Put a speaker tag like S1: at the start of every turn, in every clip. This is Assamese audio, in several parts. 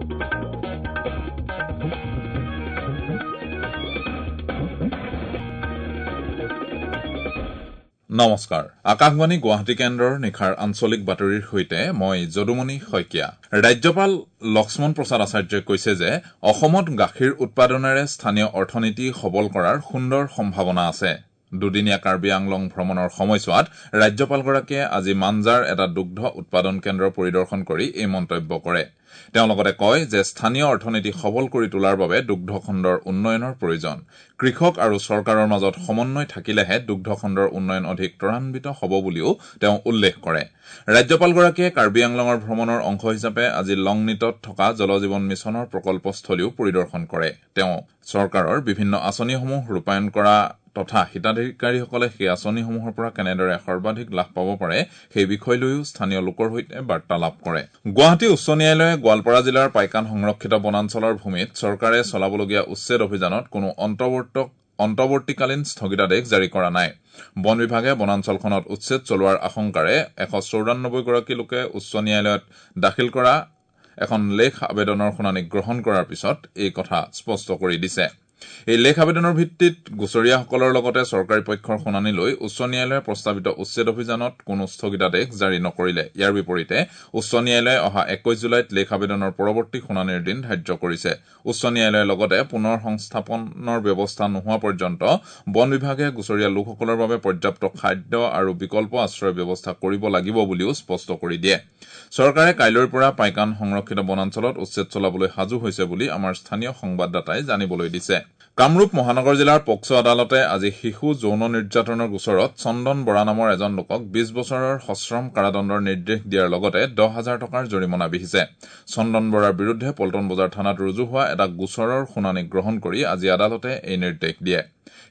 S1: নমস্কাৰ, আকাশবাণী গুৱাহাটী কেন্দ্ৰৰ নিশাৰ আঞ্চলিক বাতৰিৰ সৈতে মই যদুমণি শইকীয়া। ৰাজ্যপাল লক্ষ্মণ প্ৰসাদ আচাৰ্যই কৈছে যে অসমত গাখীৰ উৎপাদনেৰে স্থানীয় অৰ্থনীতি সবল কৰাৰ সুন্দৰ সম্ভাৱনা আছে। দুদিনীয়া কাৰ্বি আংলং ভ্ৰমণৰ সময়ছোৱাত ৰাজ্যপালগৰাকীয়ে আজি মাঞ্জাৰ এটা দুগ্ধ উৎপাদন কেন্দ্ৰ পৰিদৰ্শন কৰি এই মন্তব্য কৰে। তেওঁ লগতে কয় যে স্থানীয় অৰ্থনীতি সবল কৰি তোলাৰ বাবে দুগ্ধ খণ্ডৰ উন্নয়নৰ প্ৰয়োজন। কৃষক আৰু চৰকাৰৰ মাজত সমন্বয় থাকিলেহে দুগ্ধ খণ্ডৰ উন্নয়ন অধিক ত্বৰান্বিত হ'ব বুলিও তেওঁ উল্লেখ কৰে। ৰাজ্যপালগৰাকীয়ে কাৰ্বি আংলঙৰ ভ্ৰমণৰ অংশ হিচাপে আজি লংনিটত থকা জলজীৱন মিছনৰ প্ৰকল্পস্থলীও পৰিদৰ্শন কৰে। তেওঁ চৰকাৰৰ বিভিন্ন আঁচনিসমূহ ৰূপায়ণ কৰা তথা হিতাধিকাৰীসকলে সেই আঁচনিসমূহৰ পৰা কেনেদৰে সৰ্বাধিক লাভ পাব পাৰে সেই বিষয় লৈও স্থানীয় লোকৰ সৈতে বাৰ্তালাপ কৰে। গুৱাহাটী উচ্চ ন্যায়ালয়ে গোৱালপাৰা জিলাৰ পাইকান সংৰক্ষিত বনাঞ্চলৰ ভূমিত চৰকাৰে চলাবলগীয়া উচ্ছেদ অভিযানত কোনো অন্তৱৰ্তীকালীন স্থগিতাদেশ জাৰি কৰা নাই। বন বিভাগে বনাঞ্চলখনত উচ্ছেদ চলোৱাৰ আশংকাৰে 194 গৰাকী লোকে উচ্চ ন্যায়ালয়ত দাখিল কৰা এখন লেখ আবেদনৰ শুনানি গ্ৰহণ কৰাৰ পিছত এই কথা স্পষ্ট কৰি দিছে। এই লেখ আবেদনৰ ভিত্তিত গোচৰীয়াসকলৰ লগতে চৰকাৰী পক্ষৰ শুনানি লৈ উচ্চ ন্যায়ালয়ে প্ৰস্তাৱিত উচ্ছেদ অভিযানত কোনো স্থগিতাদেশ জাৰি নকৰিলে। ইয়াৰ বিপৰীতে উচ্চ ন্যায়ালয়ে অহা 21 জুলাইত লেখ আবেদনৰ পৰৱৰ্তী শুনানিৰ দিন ধাৰ্য কৰিছে। উচ্চ ন্যায়ালয়ে লগতে পুনৰ সংস্থাপনৰ ব্যৱস্থা নোহোৱা পৰ্যন্ত বন বিভাগে গোচৰীয়া লোকসকলৰ বাবে পৰ্যাপ্ত খাদ্য আৰু বিকল্প আশ্ৰয়ৰ ব্যৱস্থা কৰিব লাগিব বুলিও স্পষ্ট কৰি দিয়ে। চৰকাৰে কাইলৈৰ পৰা পাইকান সংৰক্ষিত বনাঞ্চলত উচ্ছেদ চলাবলৈ সাজু হৈছে বুলি আমাৰ স্থানীয় সংবাদদাতাই জানিবলৈ দিছে। কামৰূপ মহানগৰ জিলাৰ পক্সো আদালতে আজি শিশু যৌন নিৰ্যাতনৰ গোচৰত চন্দন বৰা নামৰ এজন লোকক 20 বছৰৰ সশ্ৰম কাৰাদণ্ডৰ নিৰ্দেশ দিয়াৰ লগতে 10,000 টকাৰ জৰিমনা বিহিছে। চন্দন বৰাৰ বিৰুদ্ধে পল্টন বজাৰ থানাত ৰুজু হোৱা এটা গোচৰৰ শুনানি গ্ৰহণ কৰি আজি আদালতে এই নিৰ্দেশ দিয়ে।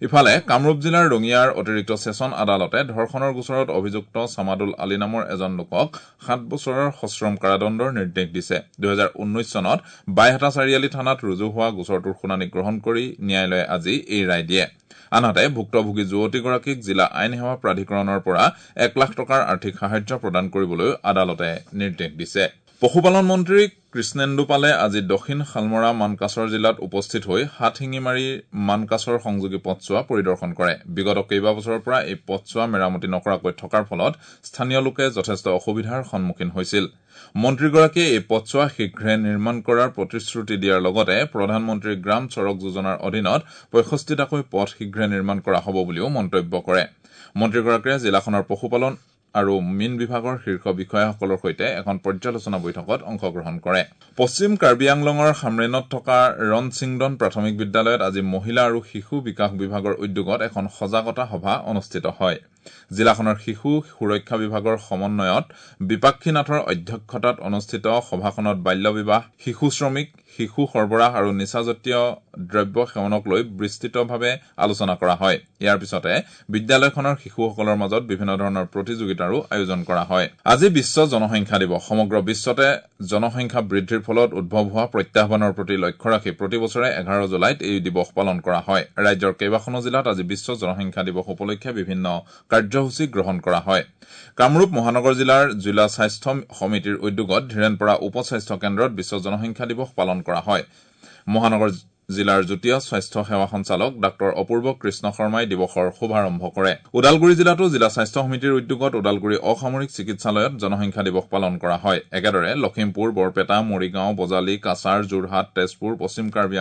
S1: ইফালে কামৰূপ জিলাৰ ৰঙিয়াৰ অতিৰিক্ত চেচন আদালতে ধৰ্ষণৰ গোচৰত অভিযুক্ত চামাদুল আলী নামৰ এজন লোকক 7 বছৰৰ সশ্ৰম কাৰাদণ্ডৰ নিৰ্দেশ দিছে। 2019 চনত বাইহাটা চাৰিআলি থানাত ৰুজু হোৱা গোচৰটোৰ শুনানি গ্ৰহণ কৰি ন্যায়ালয়ে আজি এই ৰায় দিয়ে। আনহাতে ভুক্তভোগী যুৱতীগৰাকীক জিলা আইন সেৱা প্ৰাধিকৰণৰ পৰা 1 লাখ টকাৰ আৰ্থিক সাহায্য প্ৰদান কৰিবলৈ আদালতে নিৰ্দেশ দিছে। পশুপালন মন্ত্ৰী কৃষ্ণেন্দু পালে আজি দক্ষিণ শালমৰা মানকাছৰ জিলাত উপস্থিত হৈ হাতশিঙিমাৰী মানকাছৰ সংযোগী পথছোৱা পৰিদৰ্শন কৰে। বিগত কেইবাবছৰৰ পৰা এই পথছোৱা মেৰামতি নকৰাকৈ থকাৰ ফলত স্থানীয় লোকে যথেষ্ট অসুবিধাৰ সন্মুখীন হৈছিল। মন্ত্ৰীগৰাকীয়ে এই পথছোৱা শীঘ্ৰে নিৰ্মাণ কৰাৰ প্ৰতিশ্ৰুতি দিয়াৰ লগতে প্ৰধানমন্ত্ৰী গ্ৰাম চড়ক যোজনাৰ অধীনত 65টাকৈ পথ শীঘ্ৰে নিৰ্মাণ কৰা হ'ব বুলিও মন্তব্য কৰে। মন্ত্ৰীগৰাকীয়ে জিলাখনৰ পশুপালন আৰু মীন বিভাগৰ শীৰ্ষ বিষয়াসকলৰ সৈতে এখন পৰ্যালোচনা বৈঠকত অংশগ্ৰহণ কৰে। পশ্চিম কাৰ্বি আংলঙৰ হামৰেণত থকা ৰণচিংডন প্ৰাথমিক বিদ্যালয়ত আজি মহিলা আৰু শিশু বিকাশ বিভাগৰ উদ্যোগত এখন সজাগতা সভা অনুষ্ঠিত হয়। জিলাখনৰ শিশু সুৰক্ষা বিভাগৰ সমন্বয়ত বিপাক্ষী নাথৰ অধ্যক্ষতাত অনুষ্ঠিত সভাখনত বাল্য বিবাহ, শিশু শ্ৰমিক, শিশু সৰবৰাহ আৰু নিচাজাতীয় দ্ৰব্য সেৱনক লৈ বিস্তৃতভাৱে আলোচনা কৰা হয়। ইয়াৰ পিছতে বিদ্যালয়খনৰ শিশুসকলৰ মাজত বিভিন্ন ধৰণৰ প্ৰতিযোগিতাৰো আয়োজন কৰা হয়। আজি বিশ্ব জনসংখ্যা দিৱস। সমগ্ৰ বিশ্বতে জনসংখ্যা বৃদ্ধিৰ ফলত উদ্ভৱ হোৱা প্ৰত্যাহ্বানৰ প্ৰতি লক্ষ্য ৰাখি প্ৰতি বছৰে 11 জুলাইত এই দিৱস পালন কৰা হয়। ৰাজ্যৰ কেইবাখনো জিলাত আজি বিশ্ব জনসংখ্যা দিৱস উপলক্ষে বিভিন্ন কাৰ্যসূচী গ্ৰহণ কৰা হয়। কামৰূপ মহানগৰ জিলাৰ জিলা স্বাস্থ্য সমিতিৰ উদ্যোগত ধীৰেণপাৰা উপ স্বাস্থ্য কেন্দ্ৰত বিশ্ব জনসংখ্যা দিৱস পালন কৰা হয়। মহানগৰ জিলাৰ যুটীয়া স্বাস্থ্য সেৱা সঞ্চালক ডাঃ অপূৰ্ব কৃষ্ণ শৰ্মাই দিৱসৰ শুভাৰম্ভ কৰে। ওদালগুৰি জিলাতো জিলা স্বাস্থ্য সমিতিৰ উদ্যোগত ওদালগুৰি অসামৰিক চিকিৎসালয়ত জনসংখ্যা দিৱস পালন কৰা হয়। একেদৰে লখিমপুৰ, বৰপেটা, মৰিগাঁও, বজালী, কাছাৰ, যোৰহাট, তেজপুৰ, পশ্চিম কাৰ্বি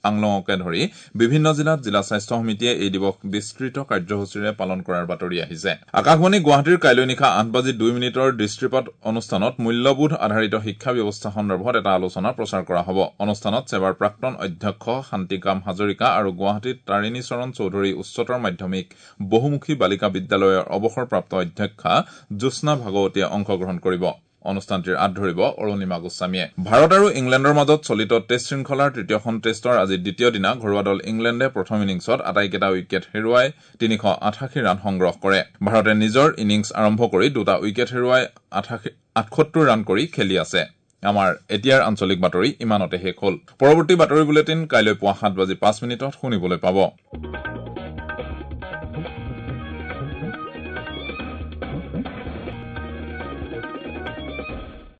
S1: আংলঙকে ধৰি বিভিন্ন জিলাত জিলা স্বাস্থ্য সমিতিয়ে এই দিৱস বিস্তৃত কাৰ্যসূচীৰে পালন কৰাৰ বাতৰি আহিছে। আকাশবাণী গুৱাহাটীৰ কাইলৈ নিশা 8:02 দৃষ্টিপাত অনুষ্ঠানত মূল্যবোধ আধাৰিত শিক্ষা ব্যৱস্থা সন্দৰ্ভত এটা আলোচনা প্ৰচাৰ কৰা হ'ব। অনুষ্ঠানত ছেবাৰ প্ৰাক্তন অধ্যক্ষ শান্তিকাম হাজৰিকা আৰু গুৱাহাটীত তাৰিণী চৰণ চৌধুৰী উচ্চতৰ মাধ্যমিক বহুমুখী বালিকা বিদ্যালয়ৰ অৱসৰপ্ৰাপ্ত অধ্যক্ষা জ্যোৎস্না ভাগৱতীয়ে অংশগ্ৰহণ কৰিব। অনুষ্ঠানটিৰ আঁত ধৰিব অৰুণিমা গোস্বামীয়ে। ভাৰত আৰু ইংলেণ্ডৰ মাজত চলিত টেষ্ট শৃংখলাৰ তৃতীয়খন টেষ্টৰ আজি দ্বিতীয় দিনা ঘৰুৱা দল ইংলেণ্ডে প্ৰথম ইনিংছত আটাইকেইটা উইকেট হেৰুৱাই 388 ৰান সংগ্ৰহ কৰে। ভাৰতে নিজৰ ইনিংছ আৰম্ভ কৰি দুটা উইকেট হেৰুৱাই 78 ৰান কৰি খেলি আছে। আমাৰ এতিয়াৰ আঞ্চলিক বাতৰি ইমানতে শেষ হ'ল। পৰৱৰ্তী বাতৰি বুলেটিন কাইলৈ পুৱা 7:05 শুনিবলৈ পাব।